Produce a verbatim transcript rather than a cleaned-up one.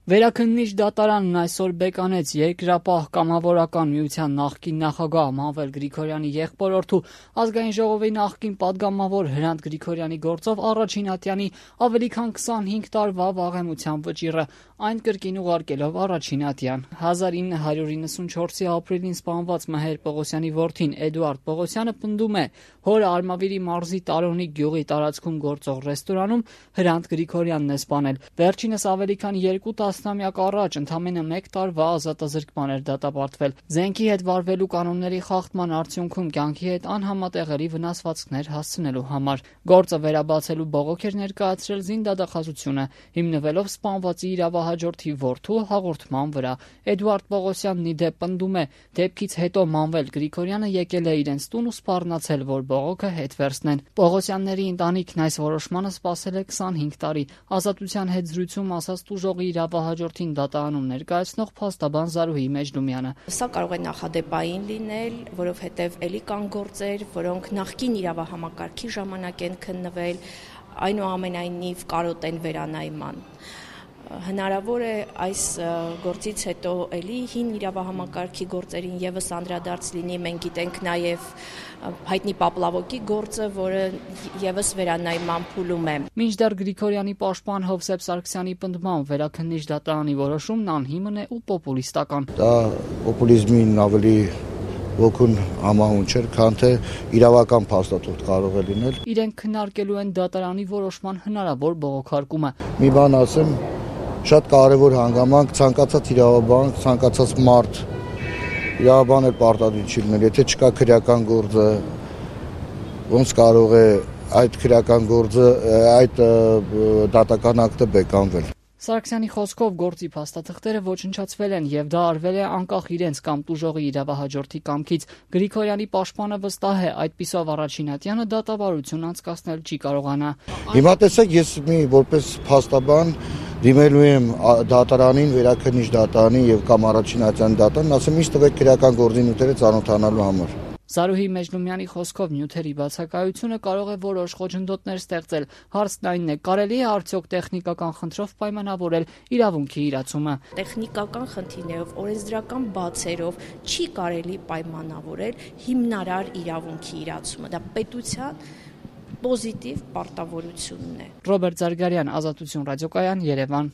Վերաքննիչ դատարանն այսօր բեկանեց Երկրապահ կամավորական միության նախկին նախագահ Մանվել Գրիգորյանի եղբորորդու ազգային ժողովի նախկին падգամավոր Հրանտ Գրիգորյանի գործով առաջին ատյանի ավելի քան քսանհինգ տարվա վաղեմության վճիռը, այն կրկին ուղարկելով առաջին ատյան։ հազար ինը հարյուր իննսունչորսի ապրիլին սպանված Մհեր Պողոսյանի որդին Էդուարդ Պողոսյանը պնդում է, հորը Արմավիրի մարզի Տարոնի գյուղի տարածքում գործող ռեստորանում Հրանտ Գրիգորյանն է սպանել։ Վերջինս ավելի քան երկու տասնամյակ առաջ ընդամենը մեկ տարվա ազատազրկման էր դատապարտվել։ Զենքի հետ վարվելու կանոնների խախտման արդյունքում կյանքի հետ անհամատեղելի վնասվածքներ հասցնելու համար։ Գործը վերաբացելու բողոք էր ներկայացրել զինդատախազությունը, հիմնվելով սպանվածի իրավահաջորդի որդու հաղորդման վրա։ Էդուարդ Պողոսյանն ի դեպ պնդում է, դեպքից հետո Մանվել Գրիգորյանը եկել է իրենց տուն ու սպառնացել, որ բողոքը հետ վերցնեն։ Պողոսյանների ընտանիքն այս որոշմանը սպասել է քսանհինգ տարի։ Ազատության հետ զրույցում ասաց տուժողի իրավահաջորդին դատարանում ներկայացնող փաստաբան Զարուհի Մեջնումյանը։ Սա կարող է նախադեպային լինել, որովհետև էլի կան գործեր, որոնք նախկին իրավահամակարգի ժամանակ են քննվել, այնուամենայնիվ կարոտ են վերանայման։ Հնարավոր է այս գործից հետո էլի հին իրավահամակարգի գործերին եւս անդրադարձ լինի, մենք գիտենք նաեւ հայտնի Պապլավոկի գործը, որը եւս վերանայման փուլում է։ Մինչդեռ Գրիգորյանի պաշտպան Հովսեփ Սարգսյանի պնդմամբ վերաքննիչ դատարանի որոշումն անհիմն է ու պոպուլիստական։ Դա պոպուլիզմին ավելի ոգուն համահունչ էր, քան թե իրավական փաստաթուղթ կարող է լինել։ Իրենք քննարկելու են դատարանի որոշման հնարավոր բողոքարկումը։ Մի բան ասեմ, շատ կարևոր հանգամանք, ցանկացած իրավաբան, ցանկացած մարդ իրավաբան էլ պարտադիր չի լինել, եթե չկա քրեական գործը, ոնց կարող է այդ քրեական գործը, այդ դատական ակտը բեկանվել։ Սարգսյանի խոսքով գործի փաստաթղթերը ոչնչացվել են եւ դա արվել է անկախ իրենց կամ տուժողի իրավահաջորդի կամքից։ Գրիգորյանի պաշտպանը վստահ է, այդպիսով առաջին ատյանը դատավարություն անցկացնել չի կարողանա։ Հիմա տեսեք, ես մի որպես փաստաբան դիմելու եմ դատարանին, վերաքննիչ դատարանին եւ կամ առաջին ատյանի դատարանին, ասեմ ինձ տվեք քրեական գործի նյութերը ծանոթանալու համար։ Զարուհի Մեջնումյանի խոսքով նյութերի բացակայությունը կարող է որոշ խոչընդոտներ ստեղծել։ Հարցն այնն է, կարելի է արդյոք տեխնիկական խնդրով պայմանավորել իրավունքի իրացումը։ Տեխնիկական խնդիրներով, օրենսդրական բացերով չի կարելի պայմանավորել հիմնարար իրավունքի իրացումը։ Դա պետության պոզիտիվ պարտավորությունն է։ Ռոբերտ Զարգարյան, Ազատություն ռադիոկայան, Երևան։